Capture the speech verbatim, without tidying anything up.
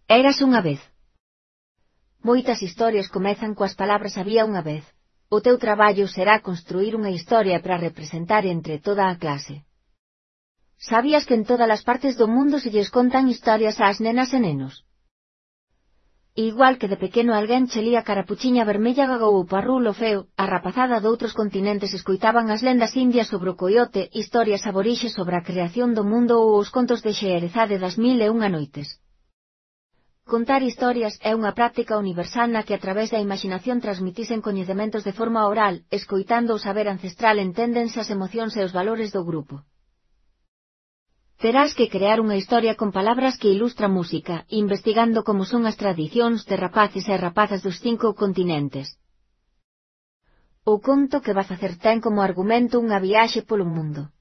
Érase unha vez. Moitas historias comezan coas palabras había unha vez. O teu traballo será construir unha historia para representar entre toda a clase. Sabías que en todas as partes do mundo se lles contan historias ás nenas e nenos? Igual que de pequeno alguén che lía Carapuchiña Vermella Gagou ou Parrulo Feo, a rapazada doutros continentes escoitaban as lendas indias sobre o coiote, historias aborixes sobre a creación do mundo ou os contos de Xeerezade das mil e unha noites. Contar historias é unha práctica universal na que a través da imaxinación transmitisen coñecementos de forma oral, escoitando o saber ancestral enténdense as emocións e os valores do grupo. Terás que crear unha historia con palabras que ilustra música, investigando como son as tradicións de rapaces e rapazas dos cinco continentes. O conto que vas facer ten como argumento unha viaxe polo mundo.